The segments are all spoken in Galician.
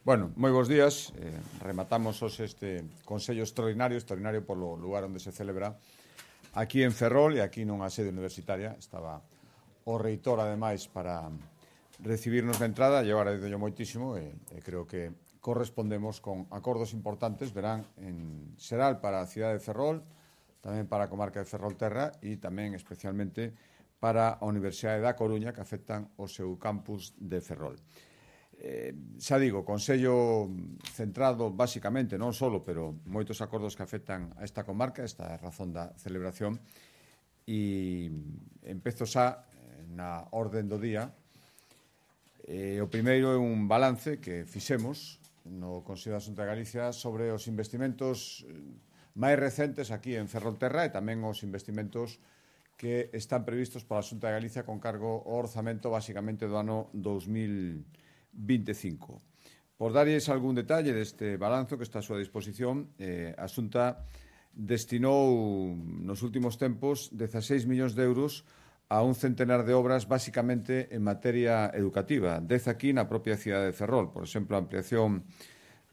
Bueno, moi bons días. Rematamos hoxe este Consello extraordinario polo lugar onde se celebra aquí en Ferrol e aquí nunha sede universitaria. Estaba o reitor, ademais, para recibirnos na entrada. Eu agradezo moitísimo e creo que correspondemos con acordos importantes, verán, en xeral para a cidade de Ferrol, tamén para a comarca de Ferrolterra e tamén especialmente para a Universidade da Coruña, que afectan o seu campus de Ferrol. Xa digo, Consello centrado basicamente, non solo, pero moitos acordos que afectan a esta comarca, esta é a razón da celebración, e empezo xa na orden do día. O primeiro é un balance que fixemos no Consello da Xunta de Galicia sobre os investimentos máis recentes aquí en Ferrolterra e tamén os investimentos que están previstos pola Xunta de Galicia con cargo ao orzamento basicamente do ano 2025. Por darlles algún detalle deste balanzo que está a súa disposición, a Xunta destinou nos últimos tempos 16 millóns de euros a un centenar de obras basicamente en materia educativa. 10 aquí na propia cidade de Ferrol, por exemplo, a ampliación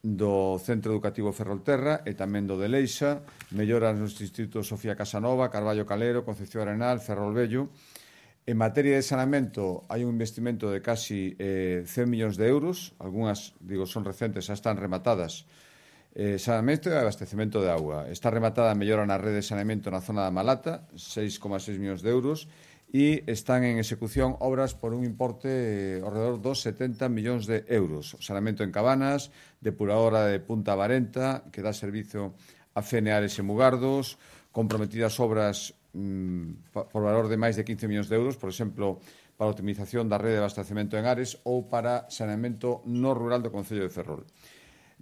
do Centro Educativo Ferrolterra e tamén do de Leixa, melloras nos institutos Sofía Casanova, Carballo Calero, Concepción Arenal, Ferrol Vello. En materia de saneamento hai un investimento de casi 100 millóns de euros, algunhas, digo, son recentes, xa están rematadas. Saneamento e abastecemento de auga. Está rematada a mellora na rede de saneamento na zona da Malata, 6,6 millóns de euros, e están en execución obras por un importe alrededor dos 70 millóns de euros. Saneamento en Cabanas, depuradora de Punta Varenta, que dá servizo a Feneares e Mugardos, comprometidas obras por valor de máis de 15 millóns de euros, por exemplo, para a optimización da rede de abastecemento en Ares ou para saneamento no rural do Concello de Ferrol.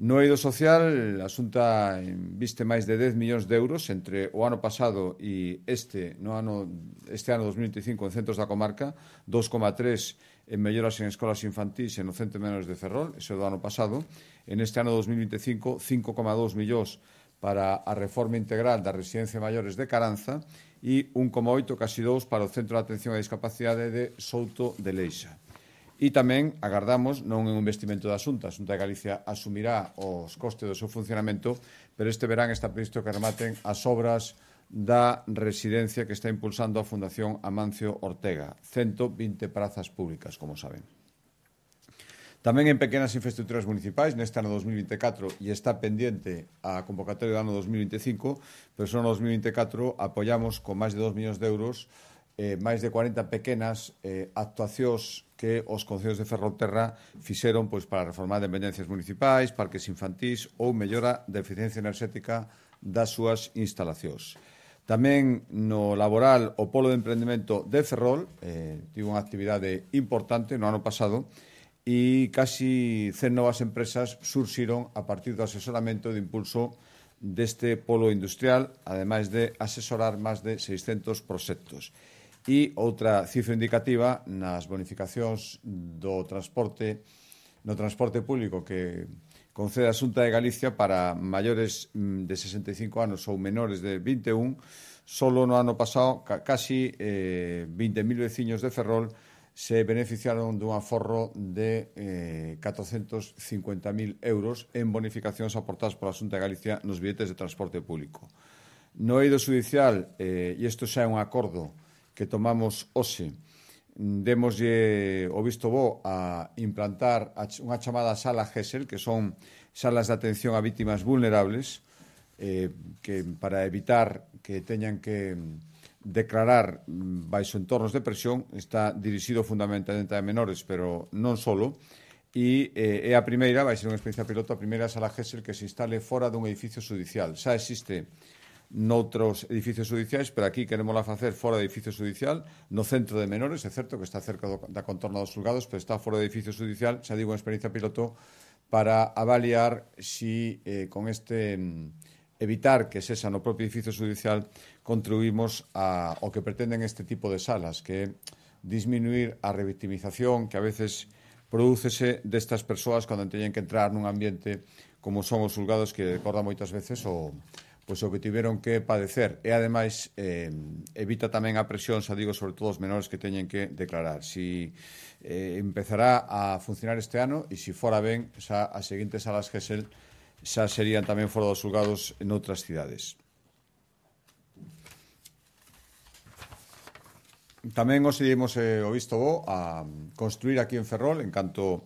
No eido social, a Xunta inviste máis de 10 millóns de euros entre o ano pasado e este ano 2025 en centros da comarca, 2,3 en melloras en escolas infantís e no centro de menores de Ferrol, ese do ano pasado. En este ano 2025, 5,2 millóns para a reforma integral da residencia de maiores de Caranza e 1,8, casi 2, para o Centro de Atención a Discapacidade de Souto de Leixa. E tamén agardamos, non é un investimento da Xunta, a Xunta de Galicia asumirá os costes do seu funcionamento, pero este verán está previsto que rematen as obras da residencia que está impulsando a Fundación Amancio Ortega, 120 prazas públicas, como saben. Tamén en pequenas infraestructuras municipais, neste ano 2024, e está pendiente a convocatoria do ano 2025, pero só no 2024 apoiamos con máis de 2 millóns de euros máis de 40 pequenas actuacións que os concellos de Ferrolterra fixeron para reformar dependencias municipais, parques infantís ou mellora da eficiencia enerxética das súas instalacións. Tamén no laboral, o Polo de Emprendemento de Ferrol tivo unha actividade importante no ano pasado e casi 100 novas empresas surxiron a partir do asesoramento e do impulso deste polo industrial, ademais de asesorar máis de 600 proxectos. E outra cifra indicativa nas bonificacións do transporte público que concede a Xunta de Galicia para maiores de 65 anos ou menores de 21, solo no ano pasado casi 20.000 veciños de Ferrol se beneficiaron dun aforro de 450.000 euros en bonificacións aportadas pola Xunta de Galicia nos billetes de transporte público. No eido judicial, e isto xa é un acordo que tomamos hoxe, demoslle o visto bo a implantar unha chamada sala GESEL, que son salas de atención a vítimas vulnerables, que para evitar que teñan que declarar baixo entornos de presión, está dirixido fundamentalmente a menores, pero non solo, e é a primeira, vai ser unha experiencia piloto, a primeira sala GESEL que se instale fora dun edificio judicial. Xa existe noutros edificios judiciais, pero aquí queremosla facer fora do edificio judicial, no centro de menores, é certo que está cerca da contorna dos xulgados, pero está fora do edificio judicial, xa digo, unha experiencia piloto para avaliar si con este evitar que sexa no propio edificio judicial contribuímos ao que pretenden este tipo de salas, que é disminuir a revictimización que a veces prodúcese destas persoas cando teñen que entrar nun ambiente como son os xulgados, que recorda moitas veces o pois o que tiveron que padecer e ademais evita tamén a presión, xa digo, sobre todo os menores que teñen que declarar. Si empezará a funcionar este ano e se fora ben, xa as seguintes salas GESEL xa serían tamén fora dos xulgados en outras cidades. Tamén os dimos o visto bo a construir aquí en Ferrol, en canto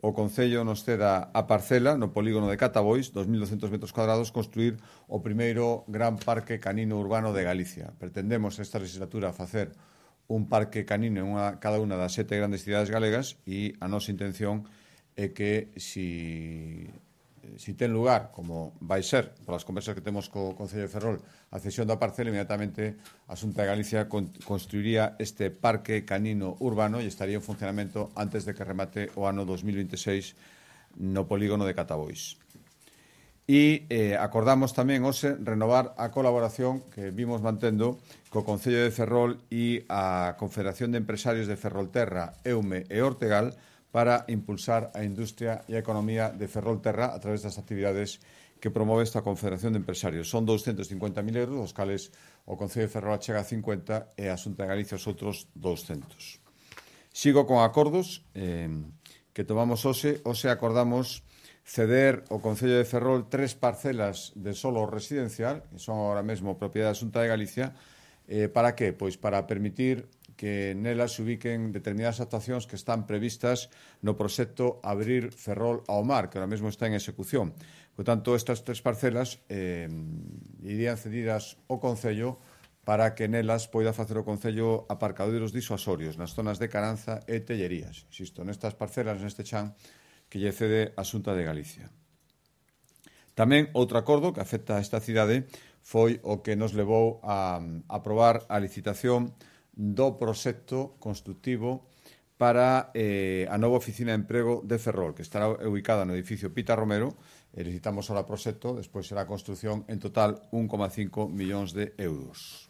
o Concello nos ceda a parcela no polígono de Catabois, 2.200 metros cuadrados, construir o primeiro gran parque canino urbano de Galicia. Pretendemos esta legislatura facer un parque canino en cada unha das 7 grandes cidades galegas e a nosa intención é que si ten lugar, como vai ser, polas conversas que temos co Concello de Ferrol, a cesión da parcela, inmediatamente a Xunta de Galicia construiría este parque canino urbano e estaría en funcionamento antes de que remate o ano 2026 no polígono de Catabois. E acordamos tamén hoxe renovar a colaboración que vimos mantendo co Concello de Ferrol e a Confederación de Empresarios de Ferrolterra, EUME e Ortegal para impulsar a industria e a economía de Ferrolterra a través das actividades que promove esta Confederación de Empresarios. Son 250.000 euros, os cales o Concello de Ferrol chega a 50 e a Xunta de Galicia os outros 200. Sigo con acordos que tomamos hoxe. Hoxe acordamos ceder ao Concello de Ferrol 3 parcelas de solo residencial, que son agora mesmo propiedade da Xunta de Galicia. Para que? Pois para permitir que nelas se ubiquen determinadas actuacións que están previstas no proxecto Abrir Ferrol ao Mar, que ahora mesmo está en execución. Por tanto, estas 3 parcelas irían cedidas ao Concello para que nelas poida facer o Concello aparcadoiros disuasorios nas zonas de Caranza e Tellerías. Insisto, nestas parcelas, neste chan, que lle cede a Xunta de Galicia. Tamén outro acordo que afecta a esta cidade foi o que nos levou a aprobar a licitación do proxecto constructivo para a nova oficina de emprego de Ferrol, que estará ubicada no edificio Pita Romero. Licitamos ahora o proxecto, despois será a construción en total 1,5 millóns de euros.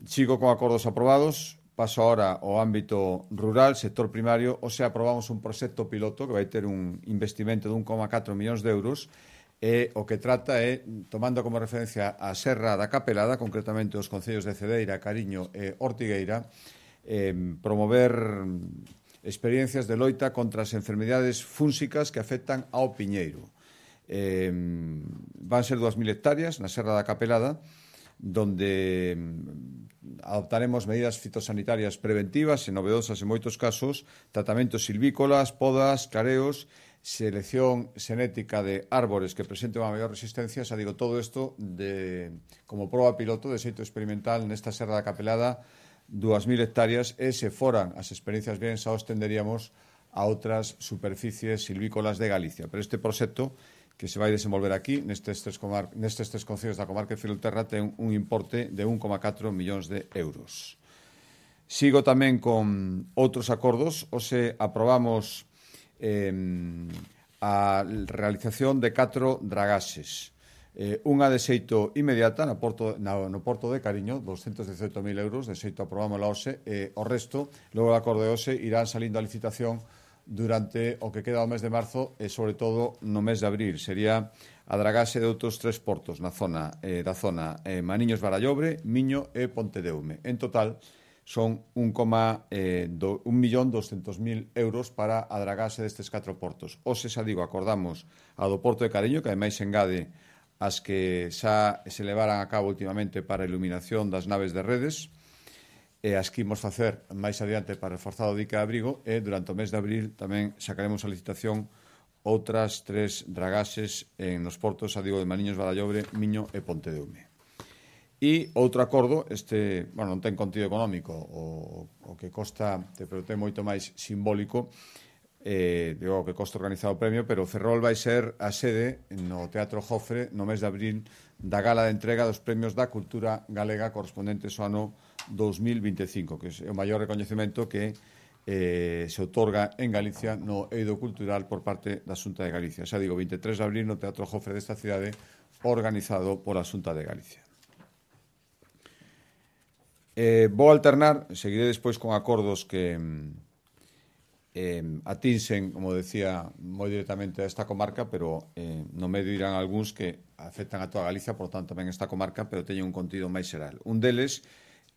Sigo con acordos aprobados. Paso ahora ao ámbito rural, sector primario. Hoxe aprobamos un proxecto piloto que vai ter un investimento de 1,4 millóns de euros. O que trata é, tomando como referencia a Serra da Capelada, concretamente os concellos de Cedeira, Cariño e Ortigueira, promover experiencias de loita contra as enfermidades fúnsicas que afectan ao piñeiro. Van ser 2.000 hectáreas na Serra da Capelada, donde adoptaremos medidas fitosanitarias preventivas e novedosas en moitos casos, tratamentos silvícolas, podas, clareos, selección xenética de árbores que presenten unha maior resistencia. Xa digo, todo isto como proba piloto de xeito experimental nesta Serra da Capelada, 2.000 hectáreas, e se foran as experiencias ben, xa os tenderíamos a outras superficies silvícolas de Galicia. Pero este proxecto que se vai desenvolver aquí, nestes tres concellos da comarca de Ferrolterra, ten un importe de 1,4 millóns de euros. Sigo tamén con outros acordos. Hoxe aprobamos a realización de 4 dragaxes. Unha de xeito inmediata no Porto de Cariño, 218.000 euros, de xeito aprobámola hoxe, o resto, logo do acordo de hoxe, irán salindo a licitación durante o que queda o mes de marzo e, sobre todo, no mes de abril. Sería a dragaxe de outros 3 portos da zona Maniños-Barallobre, Miño e Pontedeume. En total, son 1.200.000 euros para a dragaxe destes 4 portos. Hoxe, xa digo, acordamos a do Porto de Cariño, que ademais engade as que xa se levaran a cabo últimamente para a iluminación das naves de redes, e as que imos facer máis adiante para reforzar o dique de abrigo, e durante o mes de abril tamén sacaremos a licitación outras 3 dragaxes nos portos, xa digo, de Maniños, Barallobre, Miño e Pontedeume. E outro acordo, non ten contido económico, o que costa, pero ten moito máis simbólico, digo que costa organizado o premio, pero Ferrol vai ser a sede no Teatro Jofre no mes de abril da gala de entrega dos premios da cultura galega correspondentes ao ano 2025, que é o maior recoñecemento que se outorga en Galicia no eido cultural por parte da Xunta de Galicia. Xa digo, 23 de abril no Teatro Jofre desta cidade, organizado pola Xunta de Galicia. Vou alternar, seguiré despois con acordos que atinsen, como decía, moi directamente a esta comarca, pero no medio irán algúns que afectan a toda Galicia, por tanto tamén esta comarca, pero teñen un contido máis xeral. Un deles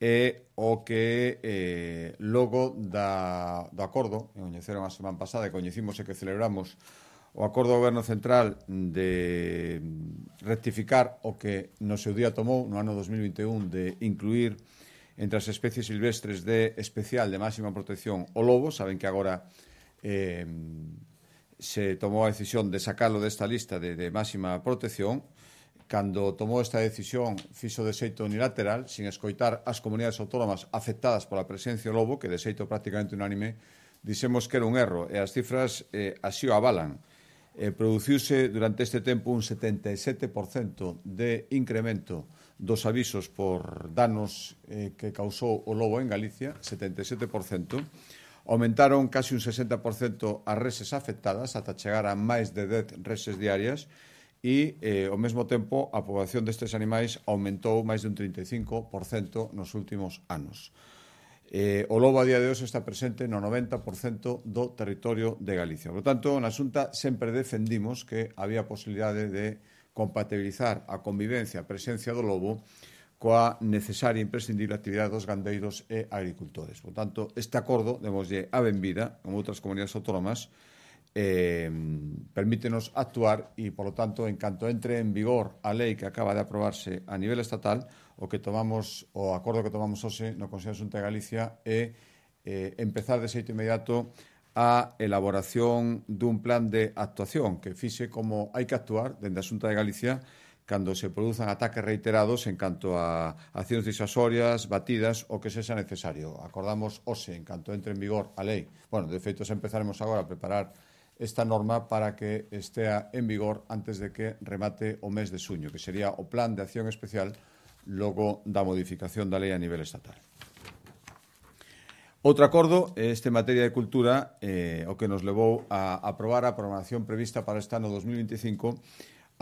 é o que logo do acordo, que coñeceron a semana pasada, e coñecimos e que celebramos o acordo do Goberno Central de rectificar o que no seu día tomou no ano 2021 de incluir entre as especies silvestres de especial de máxima protección o lobo. Saben que agora se tomou a decisión de sacalo desta lista de máxima protección. Cando tomou esta decisión, fixo de xeito unilateral, sin escoitar as comunidades autónomas afectadas pola presencia do lobo, que de xeito prácticamente unánime dixemos que era un erro, e as cifras así o avalan. Produciuse durante este tempo un 77% de incremento dos avisos por danos que causou o lobo en Galicia, 77%. Aumentaron casi un 60% as reses afectadas, ata chegar a máis de 10 reses diarias, e, ao mesmo tempo, a poboación destes animais aumentou máis de un 35% nos últimos anos. O lobo a día de hoxe está presente no 90% do territorio de Galicia. Por tanto, na Xunta sempre defendimos que había posibilidade de compatibilizar a convivencia, a presencia do lobo coa necesaria e imprescindible actividade dos gandeiros e agricultores. Por tanto, este acordo, demoslle a benvida, como outras comunidades autónomas, permítenos actuar e, por lo tanto, en canto entre en vigor a lei que acaba de aprobarse a nivel estatal, o acordo que tomamos hoxe no Consello de Xunta de Galicia é empezar de xeito inmediato a elaboración dun plan de actuación que fixe como hai que actuar dende a Xunta de Galicia cando se produzan ataques reiterados en canto a accións disuasorias, batidas, o que sexa necesario. Acordamos hoxe, en canto entre en vigor a lei. Bueno, de feito, empezaremos agora a preparar esta norma para que estea en vigor antes de que remate o mes de xuño, que sería o plan de acción especial logo da modificación da lei a nivel estatal. Outro acordo, este en materia de cultura, o que nos levou a aprobar a programación prevista para este ano 2025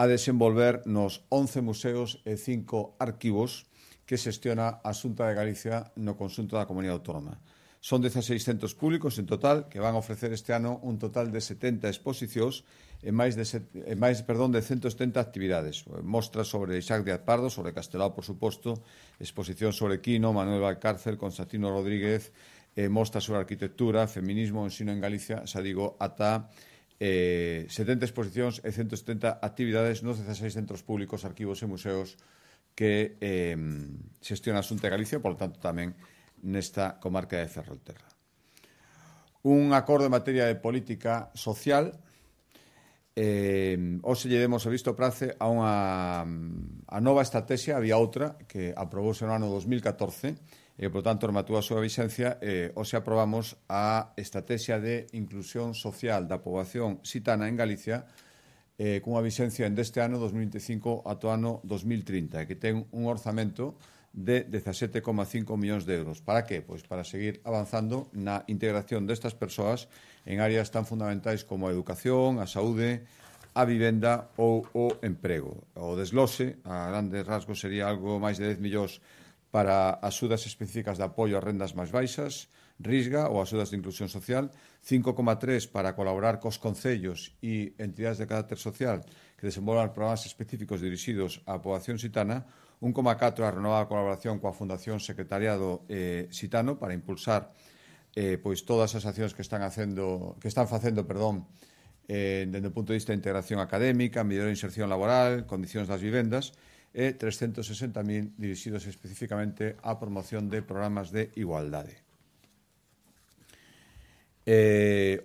a desenvolver nos 11 museos e 5 arquivos que xestiona a Xunta de Galicia no conxunto da comunidade autónoma. Son 16 centros públicos en total que van a ofrecer este ano un total de 70 exposicións e máis de 170 actividades. Mostras sobre Isaac Díaz Pardo, sobre Castelao, por suposto, exposición sobre Quino, Manuel Valcárcel, Constantino Rodríguez, mostras sobre arquitectura, feminismo, ensino en Galicia, xa digo, ata 70 exposicións e 170 actividades nos 16 centros públicos, arquivos e museos que xestiona a Xunta de Galicia, por lo tanto tamén nesta comarca de Ferrolterra. Un acordo en materia de política social. Hoxe lle demos o visto prace a nova estrategia, había outra que aprobouse no ano 2014 e, por tanto, rematou a súa vixencia. Hoxe aprobamos a estrategia de inclusión social da poboación xitana en Galicia cunha vixencia deste ano 2025 ata o ano 2030, que ten un orzamento de 17,5 millóns de euros. Para que? Pois para seguir avanzando na integración destas persoas en áreas tan fundamentais como a educación, a saúde, a vivenda ou o emprego. O desglose, a grandes rasgos, sería algo máis de 10 millóns para axudas específicas de apoio a rendas máis baixas, Risga, ou axudas de inclusión social, 5,3 para colaborar cos concellos e entidades de carácter social que desenvolvan programas específicos dirixidos á poboación xitana, 1,4 a renovada colaboración coa Fundación Secretariado Xitano para impulsar pois todas as accións que están facendo, dende o punto de vista de integración académica, mellor inserción laboral, condicións das vivendas, e 360.000 dirixidos especificamente á promoción de programas de igualdade.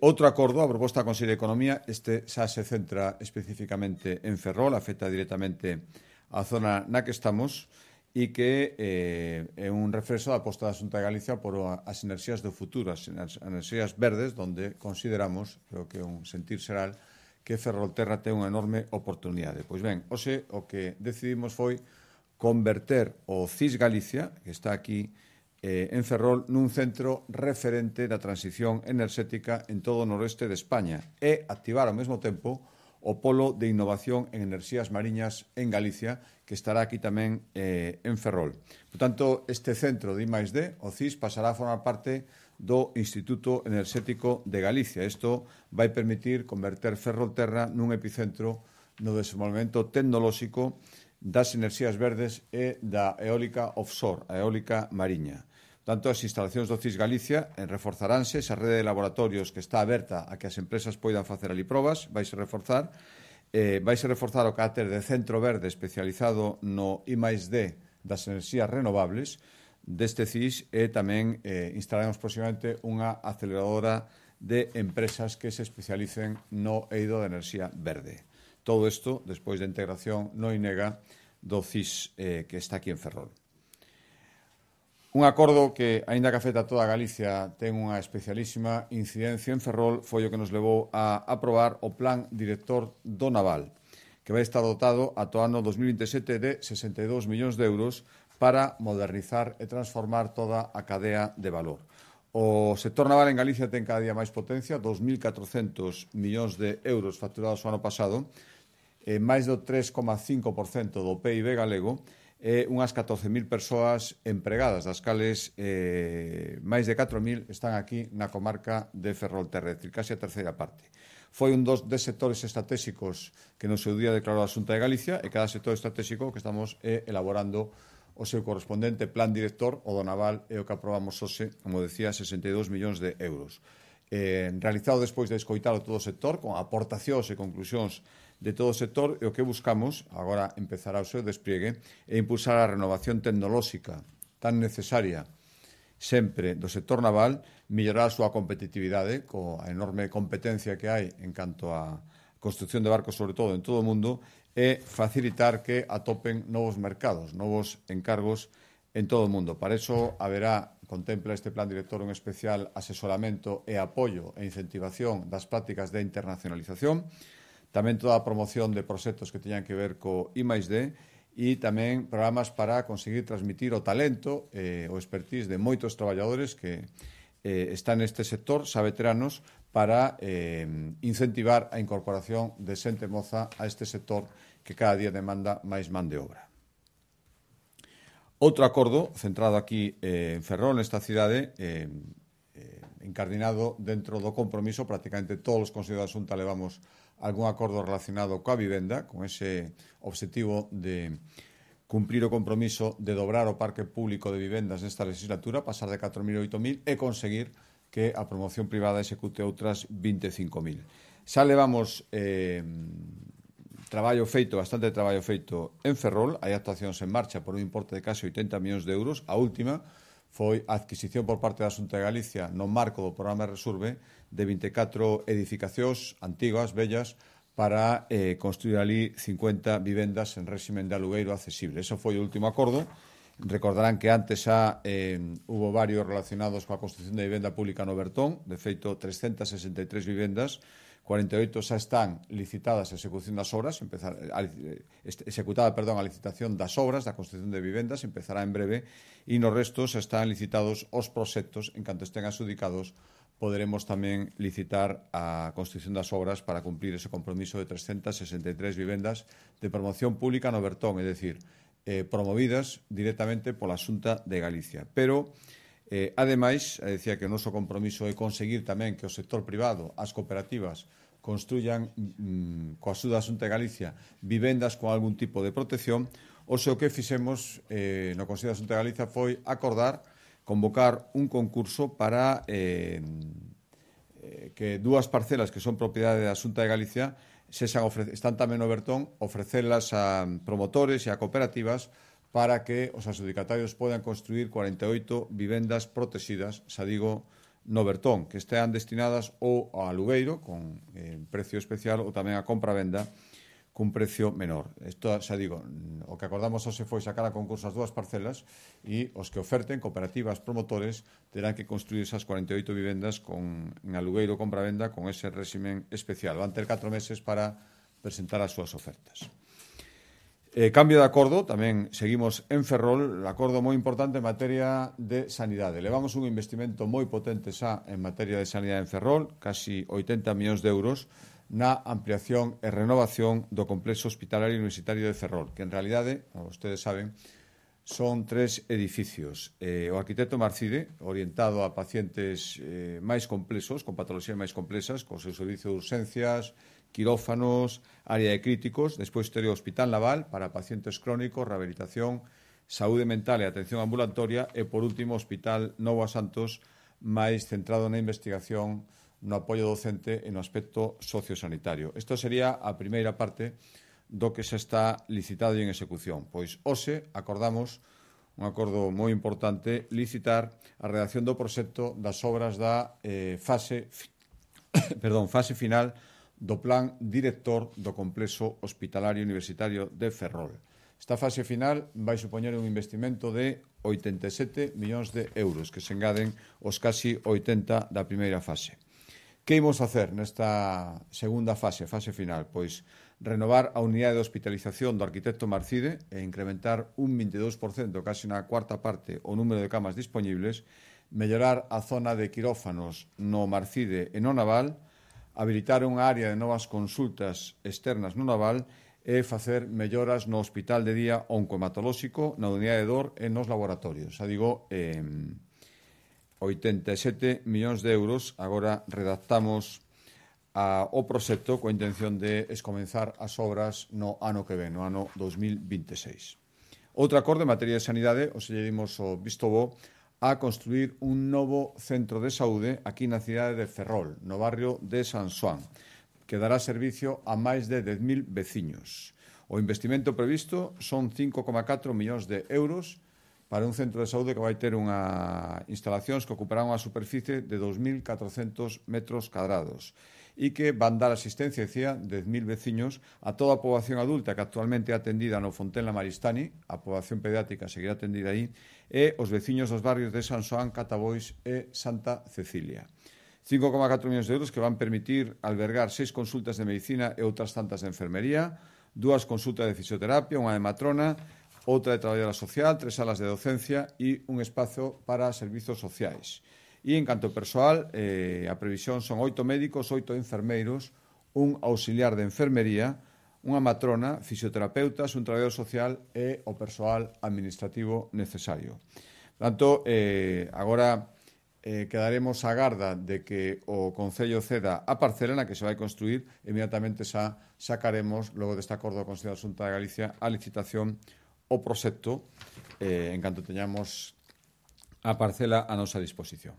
Outro acordo, a proposta da Consello de Economía, este xa se centra especificamente en Ferrol, afecta directamente a zona na que estamos e que é un refrexo da aposta da Xunta de Galicia por as enerxías do futuro, as enerxías verdes, donde consideramos, creo que é un sentir xeral, que Ferrolterra ten unha enorme oportunidade. Pois ben, hoxe o que decidimos foi converter o CIS Galicia, que está aquí en Ferrol, nun centro referente da transición enerxética en todo o noroeste de España e activar ao mesmo tempo o Polo de Innovación en Enerxías Mariñas en Galicia, que estará aquí tamén en Ferrol. Por tanto, este centro de I+D, o CIS, pasará a formar parte do Instituto Enerxético de Galicia. Isto vai permitir converter Ferrolterra nun epicentro no desenvolvemento tecnolóxico das enerxías verdes e da eólica offshore, a eólica mariña. Tanto, as instalacións do CIS Galicia reforzaránse, esa rede de laboratorios que está aberta a que as empresas poidan facer ali probas, vaise reforzar o carácter de centro verde especializado no I+D das enerxías renovables deste CIS e tamén instalaremos próximamente unha aceleradora de empresas que se especialicen no eido de enerxía verde. Todo isto despois da integración no INEGA do CIS que está aquí en Ferrol. Un acordo que, aínda que afecta a toda Galicia, ten unha especialísima incidencia en Ferrol, foi o que nos levou a aprobar o Plan Director do Naval, que vai estar dotado ata o ano 2027 de 62 millóns de euros para modernizar e transformar toda a cadea de valor. O sector naval en Galicia ten cada día máis potencia, 2.400 millóns de euros facturados o ano pasado, máis do 3,5% do PIB galego, e unhas 14.000 persoas empregadas, das cales máis de 4.000 están aquí na comarca de Ferrolterra, é dicir, case a terceira parte. Foi un dos sectores estratégicos que no seu día declarou a Xunta de Galicia e cada sector estratégico que estamos elaborando o seu correspondente plan director, o do naval, e o que aprobamos hoxe, como decía, 62 millóns de euros. Realizado despois de escoitar o todo o sector, con aportacións e conclusións de todo o sector, e o que buscamos, agora empezará o seu despliegue, é impulsar a renovación tecnolóxica tan necesaria sempre do sector naval, mellorar a súa competitividade coa enorme competencia que hai en canto a construcción de barcos, sobre todo en todo o mundo, e facilitar que atopen novos mercados, novos encargos en todo o mundo. Para iso contempla este plan director un especial asesoramento e apoio e incentivación das prácticas de internacionalización, tamén toda a promoción de proxectos que teñan que ver co I+D e tamén programas para conseguir transmitir o talento e o expertise de moitos traballadores que están neste sector, xa veteranos, para incentivar a incorporación de xente moza a este sector que cada día demanda máis man de obra. Outro acordo centrado aquí en Ferrol, nesta cidade, encardinado dentro do compromiso, prácticamente todos os consellos da Xunta levamos algún acordo relacionado coa vivenda, con ese obxectivo de cumprir o compromiso de dobrar o parque público de vivendas nesta legislatura, pasar de 4.000 a 8.000 e conseguir que a promoción privada execute outras 25.000. Xa levamos bastante traballo feito en Ferrol, hai actuacións en marcha por un importe de case 80 millóns de euros. A última foi a adquisición por parte da Xunta de Galicia no marco do programa Resurbe de 24 edificacións antigas, bellas, para construir ali 50 vivendas en réximen de alugueiro accesible. Eso foi o último acordo. Recordarán que antes xa hubo varios relacionados coa construcción de vivenda pública no Bertón, de feito 363 vivendas, 48 xa están licitadas a execución das obras, executada a licitación das obras da construcción de vivendas, empezará en breve, e nos restos xa están licitados os proxectos. En canto estén adxudicados, poderemos tamén licitar a construcción das obras para cumplir ese compromiso de 363 vivendas de promoción pública no Bertón, é dicir, promovidas directamente pola Xunta de Galicia. Pero, ademais, decía que o noso compromiso é conseguir tamén que o sector privado, as cooperativas, construyan coa axuda da Xunta de Galicia vivendas con algún tipo de protección. O que fixemos no Consello da Xunta de Galicia foi acordar convocar un concurso para que dúas parcelas que son propiedade da Xunta de Galicia están tamén no Bertón, ofrecelas a promotores e a cooperativas para que os adxudicatarios podan construir 48 vivendas protegidas, xa digo, no Bertón, que estean destinadas ou ao alugueiro, con precio especial, ou tamén a compra-venda, cun precio menor. Isto, xa digo, o que acordamos hoxe foi sacar a concurso as dúas parcelas e os que oferten, cooperativas, promotores, terán que construir esas 48 vivendas en alugueiro ou compra-venda con ese réximen especial. Van ter 4 meses para presentar as súas ofertas. Cambio de acordo, tamén seguimos en Ferrol, un acordo moi importante en materia de sanidade. Levamos un investimento moi potente xa en materia de sanidade en Ferrol, casi 80 millóns de euros, na ampliación e renovación do complexo hospitalario universitario de Ferrol, que en realidade, como vostedes saben, Son 3 edificios. O arquitecto Marcide, orientado a pacientes máis complexos, con patoloxías máis complexas, co seu servicio de urxencias, quirófanos, área de críticos. Despois tería o Hospital Naval para pacientes crónicos, rehabilitación, saúde mental e atención ambulatoria. E, por último, o Hospital Novo a Santos, máis centrado na investigación, no apoio docente e no aspecto sociosanitario. Isto sería a primeira parte do que xa está licitado e en execución. Pois hoxe acordamos un acordo moi importante, licitar a redacción do proxecto das obras da fase final do plan director do complexo hospitalario universitario de Ferrol. Esta fase final vai supoñer un investimento de 87 millóns de euros, que se engaden os casi 80 da primeira fase. Que imos facer nesta segunda fase final? Pois renovar a unidade de hospitalización do arquitecto Marcide e incrementar un 22%, casi na cuarta parte, o número de camas disponibles, mellorar a zona de quirófanos no Marcide e no Naval, habilitar unha área de novas consultas externas no Naval e facer melloras no hospital de día oncohematolóxico, na unidade de dor e nos laboratorios. Xa digo, 87 millóns de euros. Agora redactamos o proxecto coa intención de escomenzar as obras no ano que ven, no ano 2026. Outro acordo en materia de sanidade, lle dimos o visto bo a construir un novo centro de saúde aquí na cidade de Ferrol, no barrio de San Xoán, que dará servicio a máis de 10.000 veciños. O investimento previsto son 5,4 millóns de euros para un centro de saúde que vai ter instalacións que ocuparán unha superficie de 2.400 metros cadrados e que van dar asistencia, decía, 10.000 veciños a toda a poboación adulta que actualmente é atendida no Fontenla Maristani, a poboación pediátrica seguirá atendida aí, e os veciños dos barrios de San Xoán, Catabois e Santa Cecilia. 5,4 millóns de euros que van permitir albergar 6 consultas de medicina e outras tantas de enfermería, 2 consultas de fisioterapia, unha de matrona, outra de traballadora social, 3 salas de docencia e un espazo para servizos sociais. E en canto ao persoal, a previsión son 8 médicos, 8 enfermeiros, un auxiliar de enfermería, unha matrona, fisioterapeutas, un traballador social e o persoal administrativo necesario. Por tanto, agora quedaremos á garda de que o Concello ceda a parcela na que se vai construir. Inmediatamente sacaremos, logo deste acordo do Consello da Xunta de Galicia, a licitación o proxecto en canto teñamos a parcela a nosa disposición.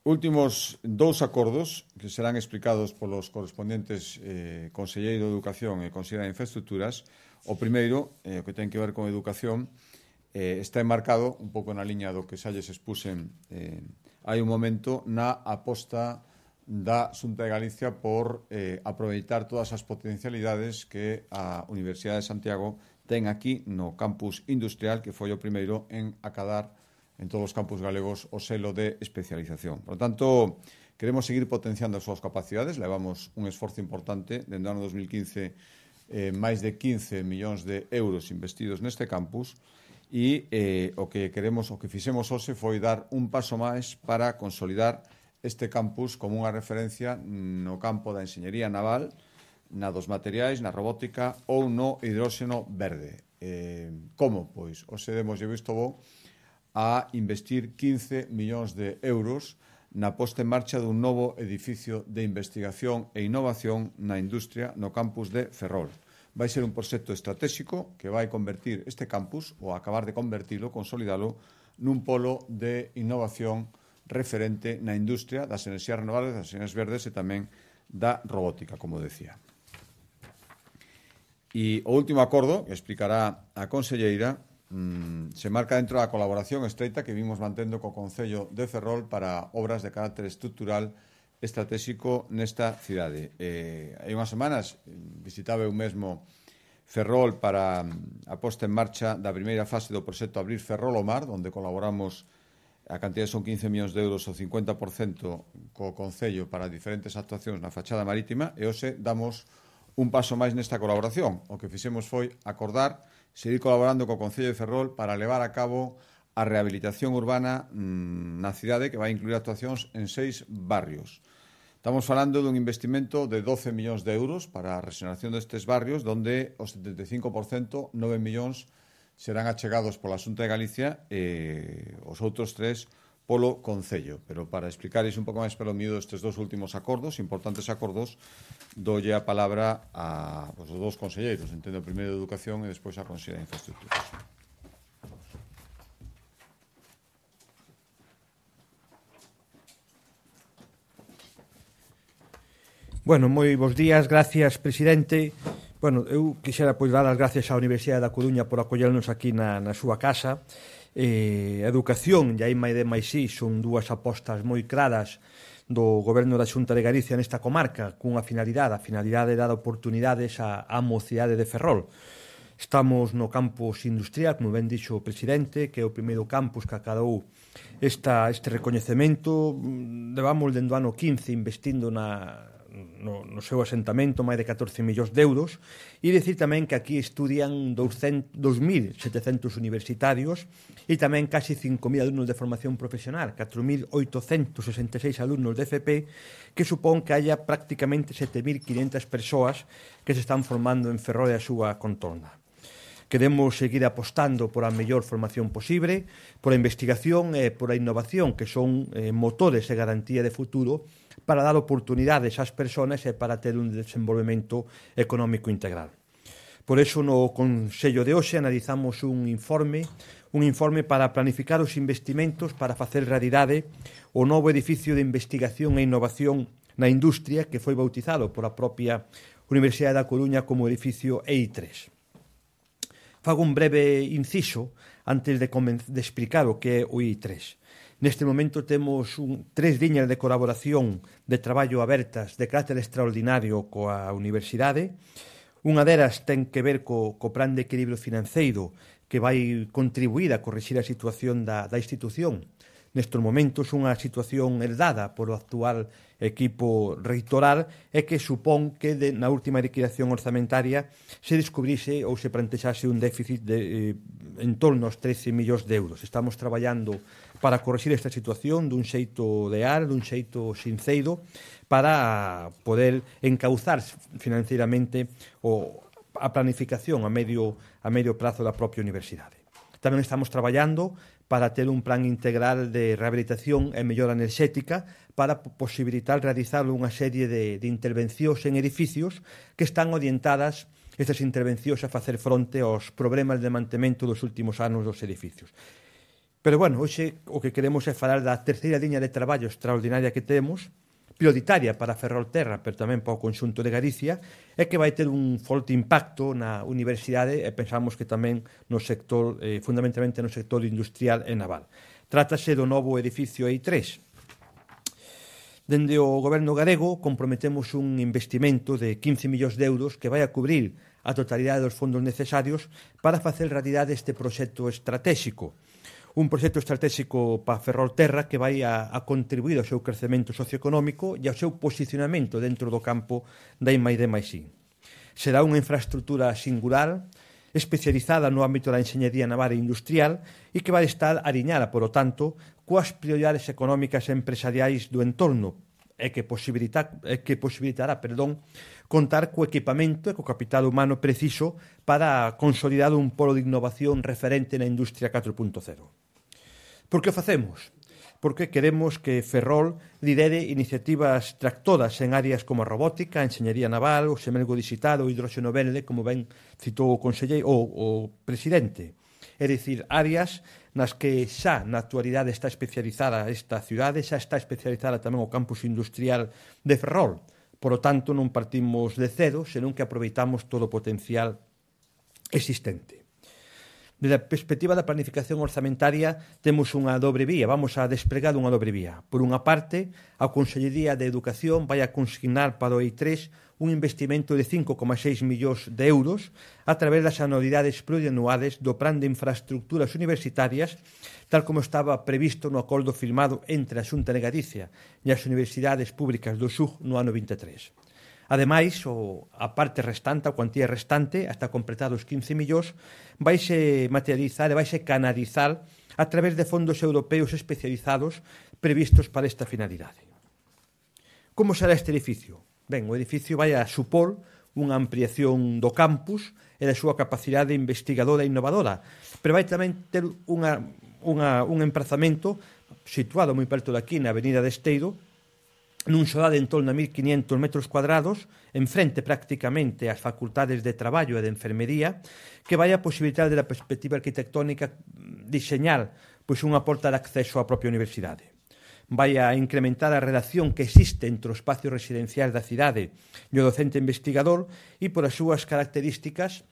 Últimos 2 acordos que serán explicados polos correspondentes Conselleiro de Educación e Conselleiro de Infraestructuras. O primeiro, que ten que ver con educación, está enmarcado un pouco na liña do que xa lles expuxen hai un momento na aposta da Xunta de Galicia por aproveitar todas as potencialidades que a Universidade de Santiago ten aquí no campus industrial, que foi o primeiro en acadar en todos os campus galegos o selo de especialización. Por lo tanto, queremos seguir potenciando as súas capacidades. Levamos un esforzo importante dende o ano 2015, máis de 15 millóns de euros investidos neste campus, e o que fixemos hoxe foi dar un paso máis para consolidar este campus como unha referencia no campo da enxeñería naval, na dos materiais, na robótica ou no hidróxeno verde. Como? Pois, hoxe demos visto bo a investir 15 millóns de euros na posta en marcha dun novo edificio de investigación e innovación na industria no campus de Ferrol. Vai ser un proxecto estratégico que vai convertir este campus, ou acabar de convertilo, consolidalo, nun polo de innovación referente na industria das enerxías renovables, das enerxías verdes e tamén da robótica, como decía. E o último acordo, que explicará a conselleira, se marca dentro da colaboración estreita que vimos mantendo co Concello de Ferrol para obras de carácter estrutural estratégico nesta cidade. Hai unhas semanas visitaba eu mesmo Ferrol para a posta en marcha da primeira fase do proxecto Abrir Ferrol ao Mar, onde colaboramos, a cantidade son 15 millóns de euros, o 50% co Concello para diferentes actuacións na fachada marítima, e hoxe damos un paso máis nesta colaboración. O que fixemos foi acordar seguir colaborando co Concello de Ferrol para levar a cabo a rehabilitación urbana na cidade, que vai incluir actuacións en 6 barrios. Estamos falando dun investimento de 12 millóns de euros para a rexeneración destes barrios, donde o 75%, 9 millóns, serán achegados pola Xunta de Galicia e os outros 3 polo Concello. Pero para explicares un pouco máis pelo miúdo estes dos últimos acordos, importantes acordos, doulle a palabra a os dos conselleiros, entendo, primeiro de Educación e despois a Conselleira de Infraestructuras. Bueno, moi bons días, gracias, presidente. Bueno, eu quixera pois dar as gracias á Universidade da Coruña por acollernos aquí na súa casa. A educación e a I+D+I son dúas apostas moi claras do Goberno da Xunta de Galicia nesta comarca, cunha finalidade, a finalidade de dar oportunidades á mocidade de Ferrol. Estamos no campus industrial, como ben dixo o presidente, que é o primeiro campus que acadou este recoñecemento. Levamos dende o ano 15 investindo no seu asentamento máis de 14 millóns de euros, e dicir tamén que aquí estudian 2.700 universitarios e tamén casi 5.000 alumnos de formación profesional, 4.866 alumnos de FP, que supón que haya prácticamente 7.500 persoas que se están formando en Ferrol e a súa contorna. Queremos seguir apostando por a mellor formación posible, por a investigación e por a innovación, que son motores e garantía de futuro para dar oportunidades ás persoas e para ter un desenvolvemento económico integral. Por iso, no Consello de hoxe analizamos un informe para planificar os investimentos para facer realidade o novo edificio de investigación e innovación na industria que foi bautizado por a propia Universidade da Coruña como edificio EI3. Fago un breve inciso antes de explicar o que é o EI3. Neste momento temos 3 liñas de colaboración de traballo abertas de carácter extraordinario coa Universidade. Unha delas ten que ver co plan de equilibrio financeiro que vai contribuir a corrixir a situación da institución. Nestes momentos unha situación herdada por o actual equipo reitoral e que supón que na última liquidación orzamentaria se descubrise ou se plantexase un déficit de en torno aos 13 millóns de euros. Estamos traballando para corrixir esta situación dun xeito leal, dun xeito sinceiro, para poder encauzar financeiramente a planificación a medio prazo da propia universidade. Tamén estamos traballando para ter un plan integral de rehabilitación e mellora enerxética para posibilitar realizar unha serie de intervencións en edificios que están orientadas estas intervencións a facer fronte aos problemas de mantemento dos últimos anos dos edificios. Pero, bueno, hoxe o que queremos é falar da terceira liña de traballo extraordinaria que temos, prioritaria para Ferrolterra, pero tamén para o conxunto de Galicia, é que vai ter un forte impacto na universidade e pensamos que tamén no sector, fundamentalmente no sector industrial e naval. Trátase do novo edificio EI3. Dende o goberno galego comprometemos un investimento de 15 millóns de euros que vai a cubrir a totalidade dos fondos necesarios para facer realidade este proxecto estratégico. Un proxecto estratégico para Ferrolterra que vai a contribuir ao seu crecemento socioeconómico e ao seu posicionamento dentro do campo da I+D+I. Será unha infraestructura singular, especializada no ámbito da enxeñería naval e industrial e que vai estar aliñada, por lo tanto, coas prioridades económicas e empresariais do entorno e que posibilitará contar co equipamento e co capital humano preciso para consolidar un polo de innovación referente na industria 4.0. Por que o facemos? Porque queremos que Ferrol lidere iniciativas tractoras en áreas como a robótica, a enxeñería naval, o semelgo digital, o hidróxeno verde, como ben citou o presidente. É dicir, áreas nas que xa na actualidade está especializada esta cidade, xa está especializada tamén o campus industrial de Ferrol. Por lo tanto, non partimos de cero, senón que aproveitamos todo o potencial existente. Desde a perspectiva da planificación orzamentaria temos unha dobre vía, vamos a despregar unha dobre vía. Por unha parte, a Consellería de Educación vai a consignar para o EI3 un investimento de 5,6 millóns de euros a través das anualidades plurianuales do Plan de Infraestructuras Universitarias, tal como estaba previsto no acordo firmado entre a Xunta de Galicia e as Universidades Públicas do SUG no ano 23. Ademais, a parte restante, a cuantía restante, hasta completar os 15 millóns, vaise materializar e vaise canalizar a través de fondos europeos especializados previstos para esta finalidade. Como será este edificio? Ben, o edificio vai a supor unha ampliación do campus e da súa capacidade investigadora e innovadora, pero vai tamén ter un emprazamento situado moi perto daqui na avenida de Esteiro, nun solar de en torno a 1.500 metros cuadrados, enfrente prácticamente ás facultades de traballo e de enfermería, que vai a posibilitar, da perspectiva arquitectónica, diseñar pois unha porta de acceso á propia universidade. Vai a incrementar a relación que existe entre os espacios residenciais da cidade e o docente investigador e, por as súas características,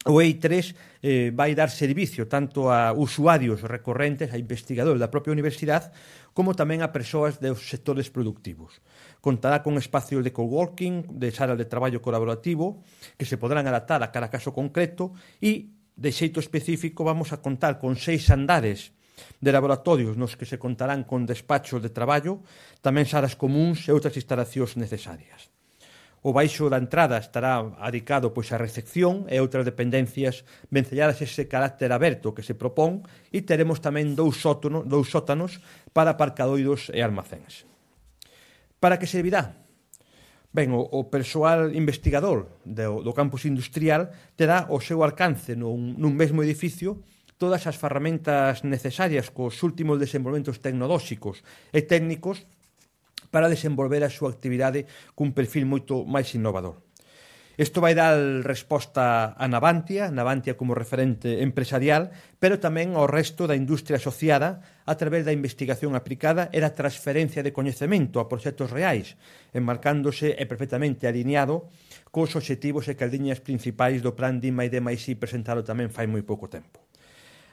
o EI3 vai dar servicio tanto a usuarios recorrentes, a investigadores da propia universidade, como tamén a persoas dos sectores productivos. Contará con espacios de coworking, de salas de traballo colaborativo, que se podrán adaptar a cada caso concreto e, de xeito específico, vamos a contar con 6 andares de laboratorios nos que se contarán con despachos de traballo, tamén salas comuns e outras instalacións necesarias. O baixo da entrada estará adicado pois á recepción e outras dependencias vencelladas ese carácter aberto que se propón, e teremos tamén dous sótanos para aparcadoiros e almacéns. Para que servirá? Ben, o persoal investigador do campus industrial terá ao seu alcance nun mesmo edificio todas as ferramentas necesarias cos últimos desenvolvementos tecnolóxicos e técnicos para desenvolver a súa actividade cun perfil moito máis innovador. Isto vai dar resposta a Navantia como referente empresarial, pero tamén ao resto da industria asociada a través da investigación aplicada e da transferencia de coñecemento a proxectos reais, enmarcándose e perfectamente alineado cos obxectivos e caldiñas principais do plan D+D+I presentado tamén fai moi pouco tempo.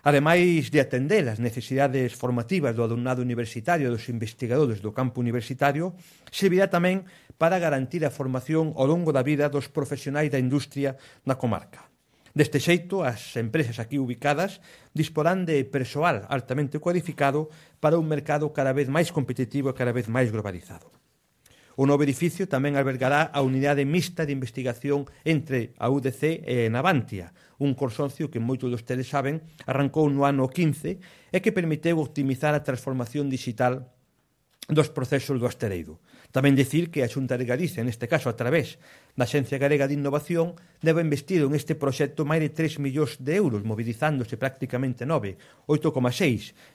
Ademais de atender as necesidades formativas do alumnado universitario e dos investigadores do campo universitario, servirá tamén para garantir a formación ao longo da vida dos profesionais da industria na comarca. Deste xeito, as empresas aquí ubicadas disporán de persoal altamente cualificado para un mercado cada vez máis competitivo e cada vez máis globalizado. O novo edificio tamén albergará a unidade mixta de investigación entre a UDC e Navantia, un consorcio que moitos de ustedes saben arrancou no ano 15 e que permiteu optimizar a transformación digital dos procesos do astereido. Tamén dicir que a Xunta de Galicia, neste caso a través da Axencia Galega de Innovación, debe investir en este proxecto máis de 3 millóns de euros, mobilizándose prácticamente 8,6,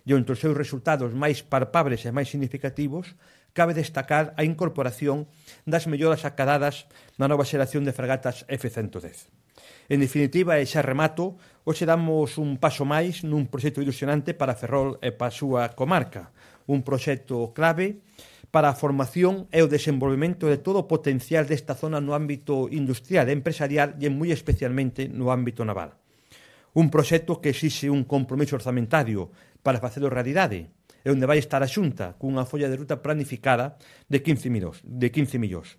e entre os seus resultados máis palpables e máis significativos, cabe destacar a incorporación das melloras acadadas na nova xeración de fragatas F-110. En definitiva, e xa remato, hoxe damos un paso máis nun proxecto ilusionante para Ferrol e para a súa comarca, un proxecto clave para a formación e o desenvolvemento de todo o potencial desta zona no ámbito industrial e empresarial e moi especialmente no ámbito naval. Un proxecto que exixe un compromiso orzamentario para facelo realidade, e onde vai estar a Xunta cunha folla de ruta planificada de 15 millóns.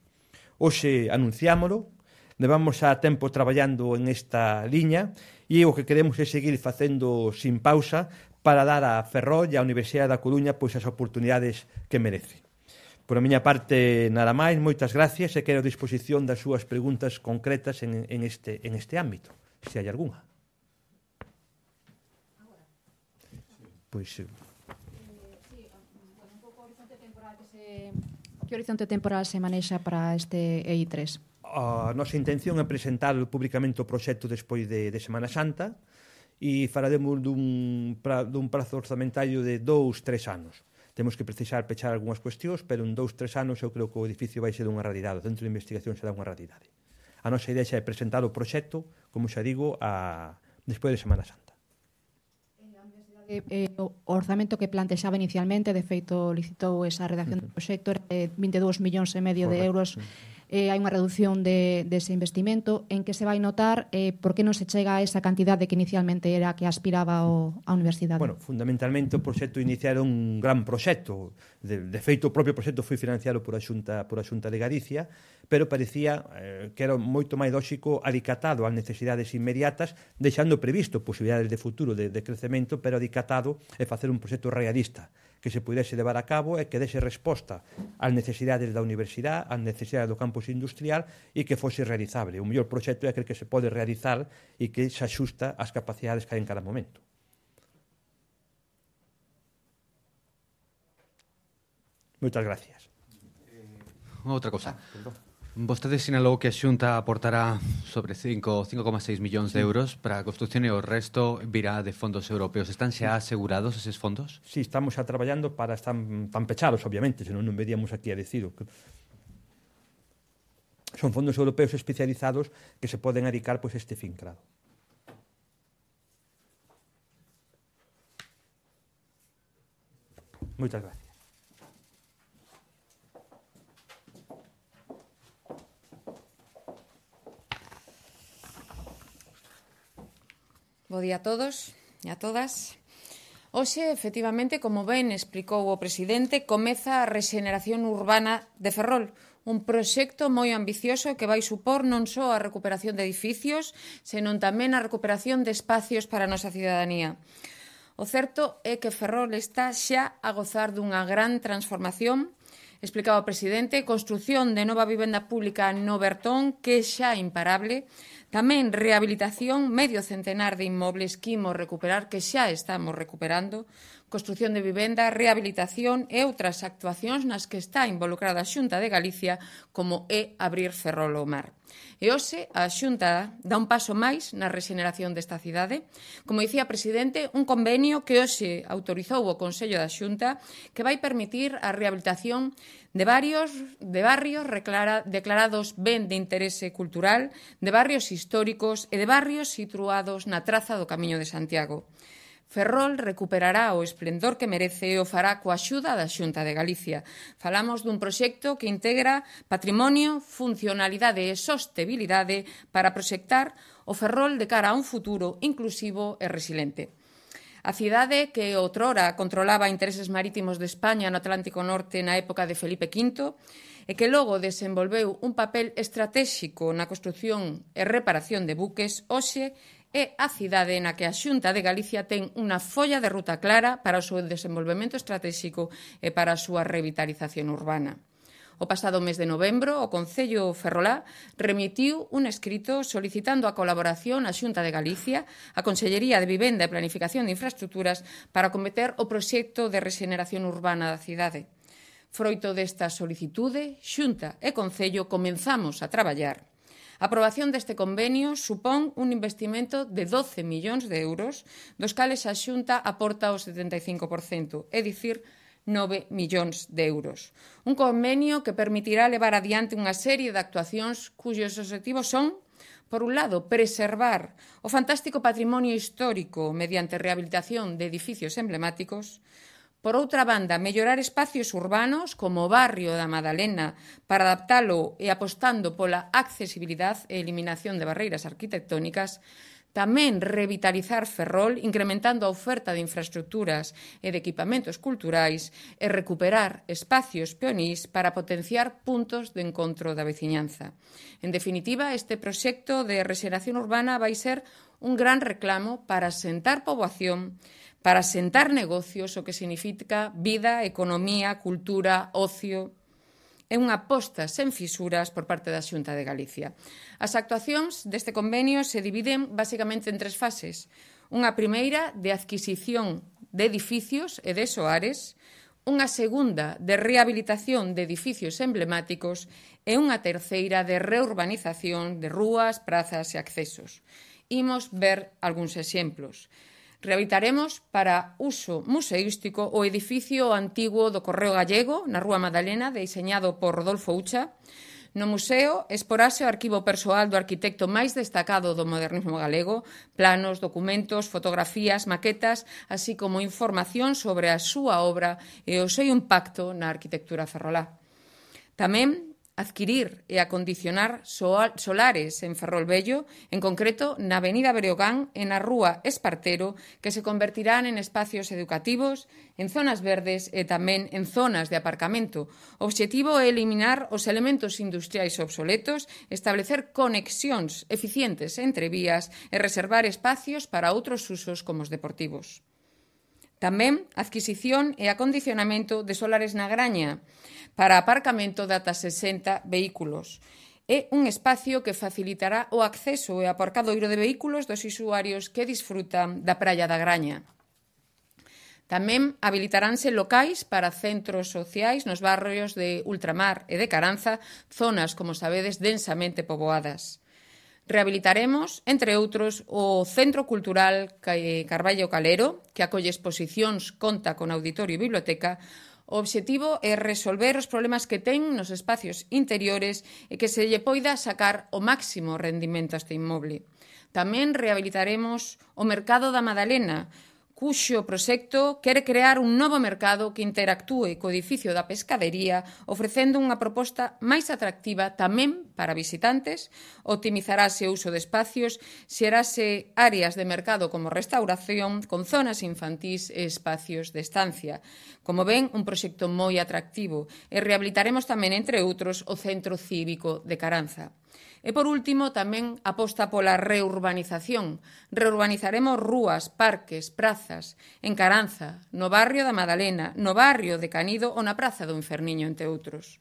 Hoxe anunciámolo, levamos a tempo traballando en esta liña e o que queremos é seguir facendo sin pausa para dar a Ferrol e a Universidade da Coruña pois as oportunidades que merece. Por a miña parte, nada máis, moitas gracias e quero a disposición das súas preguntas concretas en este ámbito, se hai algunha. Pois... Que horizonte temporal se manexa para este EI3? A nosa intención é presentar públicamente o proxecto despois de Semana Santa e faremos dun prazo orzamentario de 2-3 anos. Temos que precisar pechar algunhas cuestións, pero en 2-3 anos eu creo que o edificio vai ser unha realidade. O centro de investigación será unha realidade. A nosa idea é presentar o proxecto, como xa digo, despois de Semana Santa. O orzamento que plantexaba inicialmente, de feito licitou esa redacción do proxecto, era de 22,5 millóns de euros. Hai unha reducción dese investimento. En que se vai notar por que non se chega a esa cantidade que inicialmente era que aspiraba a universidade? Bueno, fundamentalmente o proxecto inicial era un gran proxecto. De feito, o propio proxecto foi financiado por a Xunta de Galicia, pero parecía que era moito máis lóxico alicatado ás necesidades inmediatas, deixando previsto posibilidades de futuro de crecemento, pero alicatado e facer un proxecto realista que se pudese levar a cabo e que dese resposta ás necesidades da universidade, ás necesidades do campus industrial e que fose realizable. O mellor proxecto é aquel que se pode realizar e que se axusta ás capacidades que hai en cada momento. Moitas gracias. Outra cosa. Vostede sinalou que a Xunta aportará sobre 5,6 millóns de euros para a construción e o resto virá de fondos europeos. Están xa asegurados eses fondos? Sí, estamos xa traballando para están pechados, obviamente, senón non veríamos aquí a decido. Son fondos europeos especializados que se poden adicar pois este fin, claro. Moitas gracias. Bo día a todos e a todas. Hoxe, efectivamente, como ben explicou o presidente, comeza a rexeneración urbana de Ferrol, un proxecto moi ambicioso que vai supor non só a recuperación de edificios, senón tamén a recuperación de espacios para a nosa cidadanía. O certo é que Ferrol está xa a gozar dunha gran transformación. Explicaba o presidente, construción de nova vivenda pública no Bertón, que é xa imparable. Tamén rehabilitación, medio centenar de inmobles que imos recuperar, que xa estamos recuperando. Construción de vivenda, rehabilitación e outras actuacións nas que está involucrada a Xunta de Galicia, como é abrir Ferrol ao mar. E hoxe a Xunta dá un paso máis na rexeneración desta cidade. Como dicía o presidente, un convenio que hoxe autorizou o Consello da Xunta que vai permitir a rehabilitación de barrios declarados ben de interese cultural, de barrios históricos e de barrios situados na traza do Camiño de Santiago. Ferrol recuperará o esplendor que merece e o fará coa axuda da Xunta de Galicia. Falamos dun proxecto que integra patrimonio, funcionalidade e sostibilidade para proxectar o Ferrol de cara a un futuro inclusivo e resiliente. A cidade que outrora controlaba intereses marítimos de España no Atlántico Norte na época de Felipe V e que logo desenvolveu un papel estratéxico na construción e reparación de buques, hoxe é a cidade na que a Xunta de Galicia ten unha folla de ruta clara para o seu desenvolvemento estratéxico e para a súa revitalización urbana. O pasado mes de novembro, o Concello ferrolá remitiu un escrito solicitando a colaboración á Xunta de Galicia, a Consellería de Vivenda e Planificación de Infraestructuras para acometer o proxecto de rexeneración urbana da cidade. Froito desta solicitude, Xunta e Concello comenzamos a traballar. A aprobación deste convenio supón un investimento de 12 millóns de euros, dos cales a Xunta aporta o 75%, é dicir, 9 millóns de euros. Un convenio que permitirá levar adiante unha serie de actuacións cuyos obxectivos son, por un lado, preservar o fantástico patrimonio histórico mediante rehabilitación de edificios emblemáticos. Por outra banda, mellorar espacios urbanos como o barrio da Madalena para adaptalo e apostando pola accesibilidade e eliminación de barreiras arquitectónicas. Tamén revitalizar Ferrol, incrementando a oferta de infraestructuras e de equipamentos culturais e recuperar espacios peonís para potenciar puntos de encontro da veciñanza. En definitiva, este proxecto de rexeneración urbana vai ser un gran reclamo para asentar poboación, para asentar negocios, o que significa vida, economía, cultura, ocio. É unha aposta sen fisuras por parte da Xunta de Galicia. As actuacións deste convenio se dividen basicamente en 3 fases. Unha primeira de adquisición de edificios e de soares, unha segunda de rehabilitación de edificios emblemáticos e unha terceira de reurbanización de rúas, prazas e accesos. Imos ver algúns exemplos. Rehabilitaremos para uso museístico o edificio antigo do Correo Gallego, na Rúa Madalena, diseñado por Rodolfo Ucha. No museo exporase o arquivo persoal do arquitecto máis destacado do modernismo galego, planos, documentos, fotografías, maquetas, así como información sobre a súa obra e o seu impacto na arquitectura ferrolá. Tamén adquirir e acondicionar solares en Ferrol Vello, en concreto na Avenida Breogán e na Rúa Espartero, que se convertirán en espacios educativos, en zonas verdes e tamén en zonas de aparcamento. O obxectivo é eliminar os elementos industriais obsoletos, establecer conexións eficientes entre vías e reservar espacios para outros usos como os deportivos. Tamén adquisición e acondicionamento de solares na Graña para aparcamento de ata 60 vehículos. É un espacio que facilitará o acceso e aparcadoiro de vehículos dos usuarios que disfrutan da praia da Graña. Tamén habilitaránse locais para centros sociais nos barrios de Ultramar e de Caranza, zonas, como sabedes, densamente poboadas. Rehabilitaremos, entre outros, o Centro Cultural Carballo Calero, que acolle exposicións, conta con auditorio e biblioteca. O obxectivo é resolver os problemas que ten nos espacios interiores e que se lle poida sacar o máximo rendimento a este inmoble. Tamén rehabilitaremos o Mercado da Madalena, cuxo proxecto quere crear un novo mercado que interactúe co edificio da pescadería, ofrecendo unha proposta máis atractiva tamén para visitantes, optimizarase o uso de espacios, xerase áreas de mercado como restauración, con zonas infantís e espacios de estancia. Como ven, un proxecto moi atractivo, e rehabilitaremos tamén, entre outros, o Centro Cívico de Caranza. E, por último, tamén aposta pola reurbanización. Reurbanizaremos rúas, parques, prazas, en Caranza, no barrio da Madalena, no barrio de Canido ou na Praza do Inferniño, entre outros.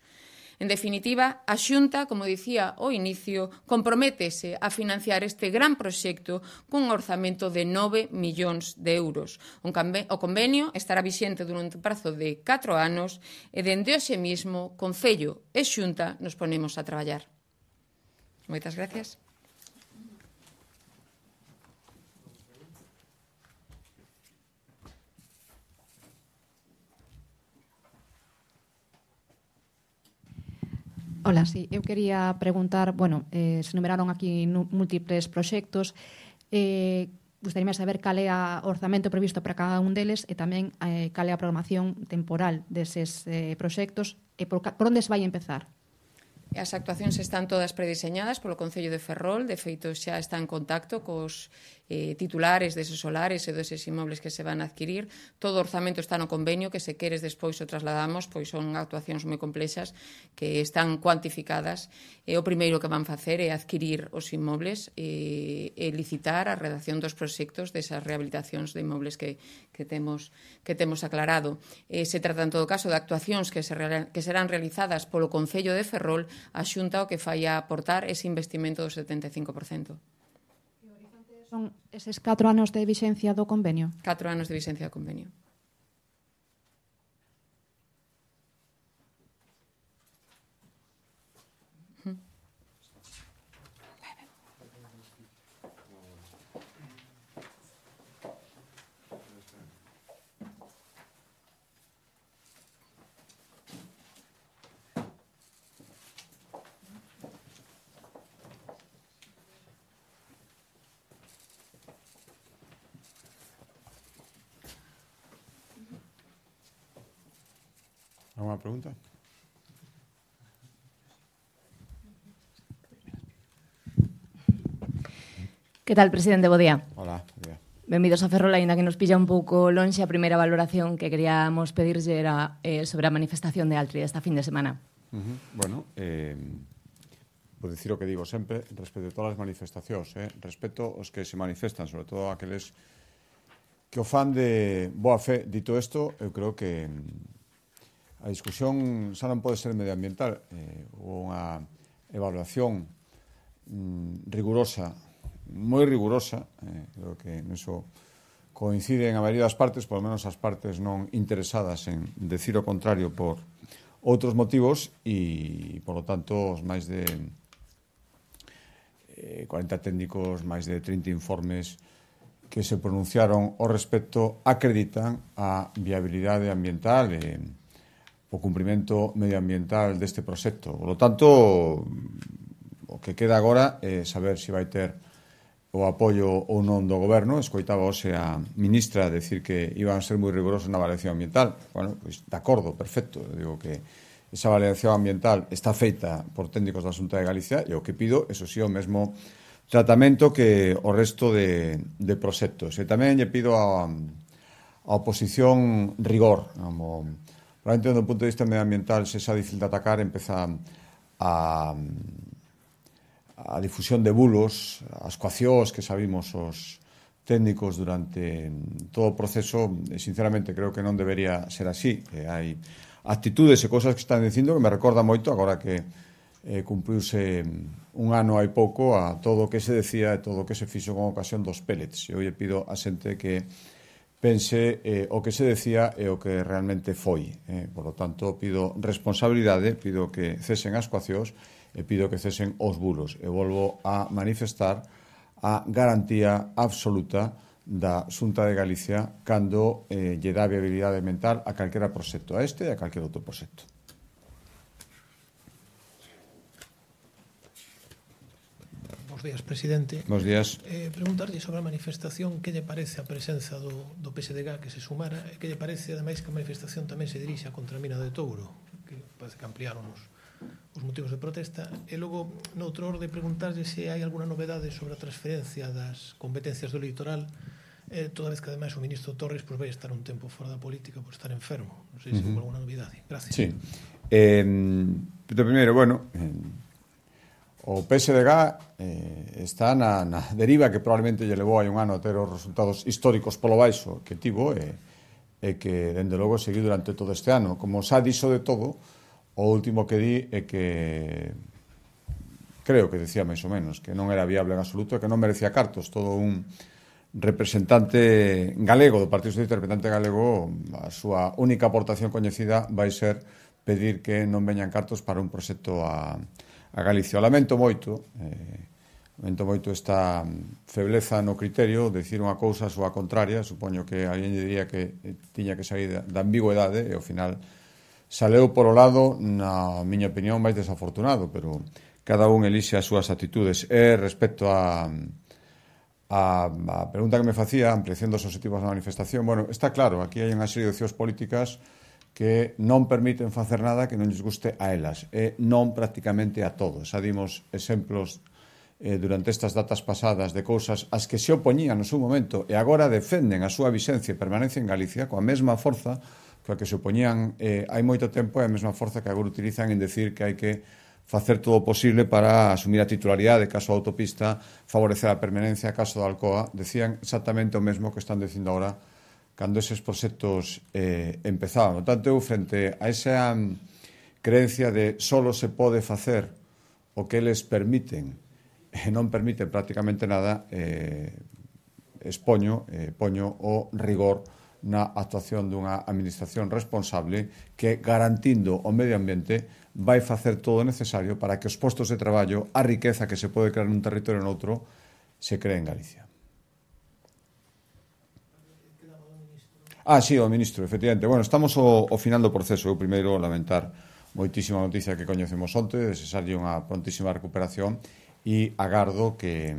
En definitiva, a Xunta, como dicía ao inicio, comprométese a financiar este gran proxecto cun orzamento de 9 millóns de euros. O convenio estará vixente durante un prazo de 4 anos e dende hoxe mismo, Concello e Xunta nos ponemos a traballar. Moitas gracias. Hola, sí, eu quería preguntar, se enumeraron aquí múltiples proxectos, gustaríame saber cal é o orzamento previsto para cada un deles e tamén cal é a programación temporal deses proxectos e por onde se vai empezar. As actuacións están todas prediseñadas polo Concello de Ferrol, de feito xa está en contacto cos titulares deses solares e deses inmobles que se van a adquirir. Todo o orzamento está no convenio, que se queres despois o trasladamos, pois son actuacións moi complexas que están cuantificadas. O primeiro que van facer é adquirir os inmobles e licitar a redacción dos proxectos desas rehabilitacións de inmobles que temos aclarado. Se trata, en todo caso, de actuacións que serán realizadas polo Concello de Ferrol. A Xunta o que fai a aportar ese investimento do 75%. E o horizonte son eses 4 anos de vixencia do convenio? 4 anos de vixencia do convenio. ¿Alguna pregunta? Que tal, presidente? Bo día. Hola, bo día. Benvidos a Ferrol, aínda que nos pilla un pouco lonxe. A primeira valoración que queríamos pedirlle era sobre a manifestación de Altri esta fin de semana. Bueno, por dicir o que digo sempre, respecto a todas as manifestacións, respeto os que se manifestan, sobre todo aqueles que o fan de boa fe. Dito isto, eu creo que a discusión xa non pode ser medioambiental, unha evaluación rigurosa, moi rigurosa, creo que niso coinciden a maioría das partes, por lo menos as partes non interesadas en decir o contrario por outros motivos, e, por lo tanto, os máis de 40 técnicos, máis de 30 informes que se pronunciaron ao respecto acreditan a viabilidade ambiental e o cumprimento medioambiental deste proxecto. Por lo tanto, o que queda agora é saber se vai ter o apoio ou non do goberno. Escoitaba hoxe a ministra decir que iban a ser moi rigurosos na avaliación ambiental. Bueno, pois, de acordo, perfecto. Eu digo que esa avaliación ambiental está feita por técnicos da Xunta de Galicia e o que pido, eso sí, o mesmo tratamento que o resto de proxectos. E tamén lle pido a oposición rigor. Probablemente, do punto de vista medioambiental, se xa difícil de atacar, empeza a difusión de bulos, as coaccións que sabimos os técnicos durante todo o proceso. Sinceramente, creo que non debería ser así. Hai actitudes e cosas que están dicindo que me recorda moito, agora que cumpriuse un ano hai pouco, a todo o que se decía e todo o que se fixo con ocasión dos pellets. Eu lle pido a xente que pense o que se decía e o que realmente foi. Por lo tanto, pido responsabilidade, pido que cesen as coaccións e pido que cesen os bulos. E volvo a manifestar a garantía absoluta da Xunta de Galicia cando lle dá viabilidade mental a calquera proxecto, a este e a calquera outro proxecto. Bos días, presidente. Bos días. Preguntarlle sobre a manifestación, que lle parece a presenza do PSDG que se sumara e que lle parece, ademais, que a manifestación tamén se dirixe contra a mina de Touro, que parece que ampliaron os motivos de protesta. E logo, noutro orde, preguntarlle se hai alguna novedade sobre a transferencia das competencias do litoral, toda vez que, ademais, o ministro Torres vai estar un tempo fora da política por estar enfermo. Non sei se houve alguna novidade. Gracias. Sí. De primeiro, bueno, o PSDG está na deriva que probablemente lle levou hai un ano a ter os resultados históricos polo baixo que tivo e que, dende logo, seguiu durante todo este ano. Como xa dixo de todo, o último que di é que creo que decía máis ou menos que non era viable en absoluto e que non merecía cartos. Todo un representante galego do Partido Socialista, representante galego, a súa única aportación coñecida vai ser pedir que non veñan cartos para un proxecto a Galicia. Lamento moito esta febleza no criterio de dicir unha cousa a súa contraria. Supoño que alguén diría que tiña que sair da ambigüedade e ao final saleu por o lado, na miña opinión, máis desafortunado, pero cada un elixe as súas actitudes. E respecto a pregunta que me facía, ampliación dos objetivos da manifestación, bueno, está claro, aquí hai unha serie de opcións políticas que non permiten facer nada que non lles guste a elas, e non prácticamente a todos. Xa dimos exemplos durante estas datas pasadas de cousas as que se opoñían no seu momento e agora defenden a súa vixencia e permanencia en Galicia coa mesma forza coa que se opoñían hai moito tempo e a mesma forza que agora utilizan en decir que hai que facer todo o posible para asumir a titularidade, caso a autopista, favorecer a permanencia, caso da Alcoa. Decían exactamente o mesmo que están dicindo agora cando eses proxectos empezaban. Por tanto, eu, frente a esa creencia de solo se pode facer o que eles permiten e non permiten prácticamente nada, poño o rigor na actuación dunha administración responsable que, garantindo o medio ambiente, vai facer todo o necesario para que os postos de traballo, a riqueza que se pode crear nun territorio ou noutro, se cree en Galicia. Sí, o ministro, efectivamente. Bueno, estamos ao final do proceso. Eu primeiro lamentar moitísima noticia que coñecemos onte, desexarlle unha prontísima recuperación e agardo que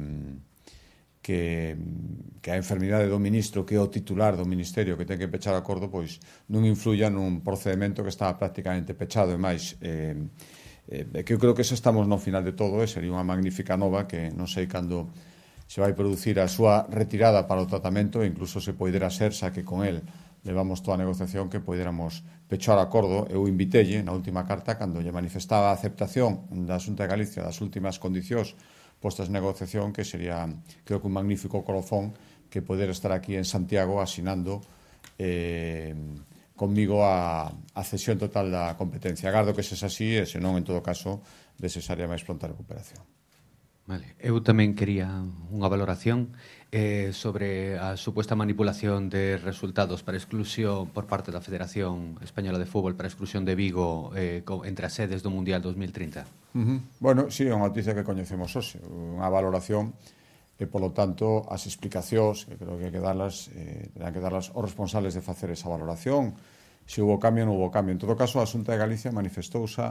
a enfermidade do ministro, que é o titular do ministerio que ten que pechar o acordo, pois non influya nun procedimento que estaba prácticamente pechado. E máis, que eu creo que eso estamos no final de todo, e sería unha magnífica nova que non sei cando se vai producir a súa retirada para o tratamento, e incluso se poidera ser, xa que con el levamos toda a negociación, que poidéramos pechar acordo. Eu invitelle na última carta, cando lle manifestaba a aceptación da Xunta de Galicia das últimas condicións postas en negociación, que sería, creo que un magnífico colofón, que poder estar aquí en Santiago asinando conmigo a cesión total da competencia. Agardo que sexa así, e senón, en todo caso, necesaria máis pronta recuperación. Vale. Eu tamén quería unha valoración sobre a supuesta manipulación de resultados para exclusión por parte da Federación Española de Fútbol para exclusión de Vigo entre as sedes do Mundial 2030. Bueno, sí, é unha noticia que coñecemos hoxe, unha valoración e, polo tanto, as explicacións que creo que terán que darlas os responsables de facer esa valoración, se houve cambio ou non houve cambio. En todo caso, a Xunta de Galicia manifestouse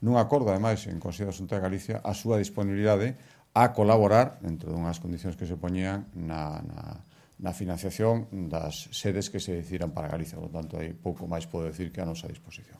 nun acordo, ademais, en Consello da Xunta de Galicia, a súa disponibilidade a colaborar, entre unhas condicións que se poñían, na financiación das sedes que se decidiran para Galicia. Por tanto, aí pouco máis podo decir que a nosa disposición.